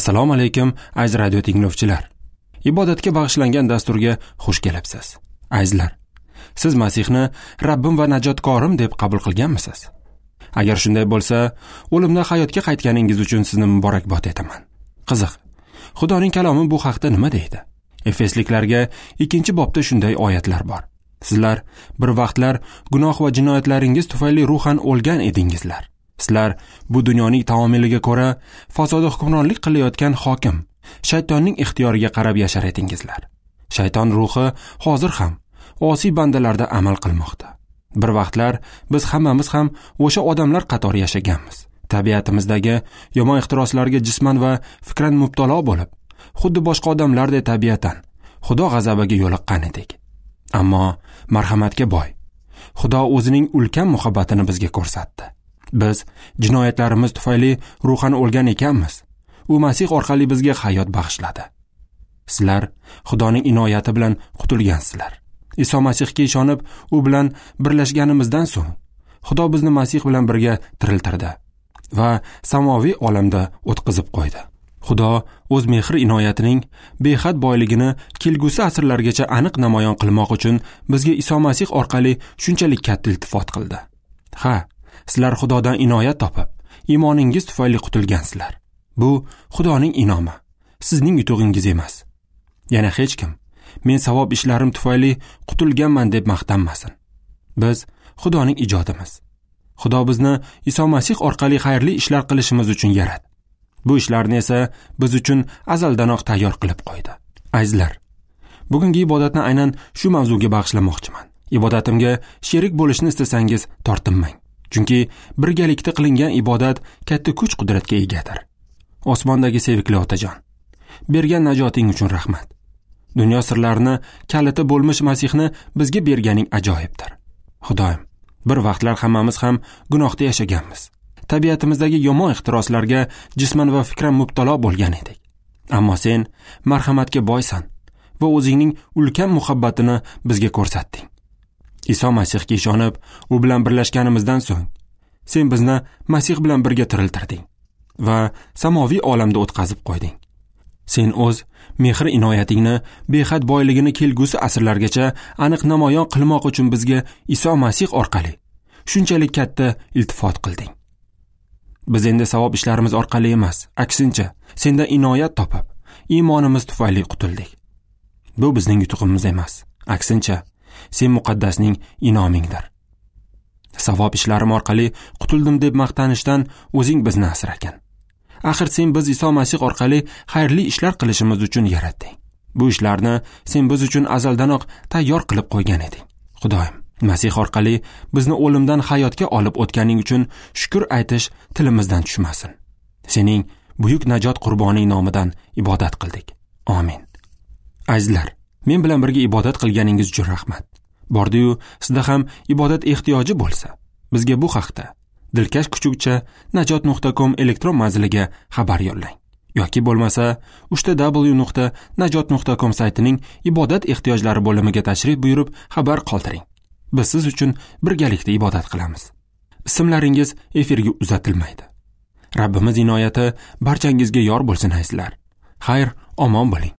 Assalomu alaykum, aziz radio tinglovchilar. Ibodatga bag'ishlangan dasturga xush kelibsiz. Azizlar, siz Masihni Rabbim va najotkorim deb qabul qilganmisiz? Agar shunday bo'lsa, o'limdan hayotga qaytganingiz uchun sizni muborakbod etaman. Qiziq, Xudoning kalomi bu haqda nima deydi? Efesliklarga 2-bobda shunday oyatlar bor. Sizlar bir vaqtlar gunoh va jinoyatlaringiz tufayli ruhan o'lgan edingizlar. Sizlar bu dunyoning taomiliga ko'ra fasodi hukmronlik qilayotgan hokim, shaytonning ixtiyoriga qarab yashar edingizlar. Shayton ruhi hozir ham osiy bandalarda amal qilmoqda. Bir vaqtlar biz hammamiz ham o'sha odamlar qatori yashaganmiz. Tabiatimizdagi yomon ehtiroslarga jisman va fikran mubtalo bo'lib, xuddi boshqa odamlardek tabiatan Xudo g'azabiga yo'liqqan edik. Ammo marhamatga boy Xudo o'zining ulkan muhabbatini bizga ko'rsatdi. Biz jinoyatlarimiz tufayli ruhan o'lgan ekanmiz. U Masih orqali bizga hayot bag'ishladi. Sizlar Xudoning inoyati bilan qutulgansizlar. Iso Masihga ishonib, u bilan birlashganimizdan so'ng Xudo bizni Masih bilan birga tiriltirdi va samoviy olamda o'tqizib qo'ydi. Xudo o'z mehr inoyatining behad boyligini kelgusi asrlargacha aniq namoyon qilmoq uchun bizga Iso Masih orqali shunchalik katta iltifot qildi. Ha, sizlar Xudodan inoyat topib, iymoningiz tufayli qutulgansizlar. Bu Xudoning inomi, sizning yutug'ingiz emas. Yana hech kim men savob ishlarim tufayli qutulganman deb maqtanmasin. Biz Xudoning ijodimiz. Xudo bizni Iso Masih orqali xayrli ishlar qilishimiz uchun yaratdi. Bu ishlarni esa biz uchun azaldanoq tayyor qilib qo'ydi. Azizlar, bugungi ibodatni aynan shu mavzuga bag'ishlamoqchiman. Ibodatimga sherik bo'lishni istasangiz tortinmang. Chunki birgalikda qilingan ibodat katta kuch-qudratga egadir. Osmondagi sevikli otajon, bergan najoting uchun rahmat. Dunyo sirlarini kaliti bo'lmish Masihni bizga berganing ajoyibdir. Xudoyim, bir vaqtlar hammamiz ham gunohda yashaganmiz. Tabiatimizdagi yomon ehtiroslarga jisman va fikran mubtalo bo'lgan edik. Ammo sen marhamatga boysan va o'zingning ulkan muhabbatini bizga ko'rsatding. Iso Masihga ishonib, u bilan birlashganimizdan so'ng sen bizni Masih bilan birga tiriltirding va samoviy olamda o'tkazib qo'yding. Sen o'z mehr inoyatingni behad boyligini kelgusi asrlargacha aniq namoyon qilmoq uchun bizga Iso Masih orqali shunchalik katta iltifot qilding. Biz endi savob ishlarimiz orqali emas, aksincha sendan inoyat topib, iymonimiz tufayli qutuldik. Bu bizning yutug'imiz emas, aksincha sen muqaddasning inomingdir. Savob ishlarim orqali qutuldim deb maqtanishdan o'zing bizni asragin. Axir sen biz Iso Masih orqali xayrli ishlar qilishimiz uchun yaratding. Bu ishlarni sen biz uchun azaldanoq tayyor qilib qo'ygan eding. Xudoyim, Masih orqali bizni o'limdan hayotga olib o'tganing uchun shukr aytish tilimizdan tushmasin. Sening buyuk najot qurboning nomidan ibodat qildik. Amin. Azizlar, men bilan birga ibodat qilganingiz uchun rahmat. Bordi-yu, sizda ham ibodat ehtiyoji bo'lsa, bizga bu haqda dilkash kuchukcha najot.com elektron manziliga xabar yo'llang. Yoki bo'lmasa www.najot.com saytining ibodat ehtiyojlari bo'limiga tashrif buyurib xabar qoldiring. Biz siz uchun birgalikda ibodat qilamiz. Ismlaringiz efirga uzatilmaydi. Rabbimiz inoyati barchangizga yor bo'lsin, azizlar. Xayr, omon bo'ling.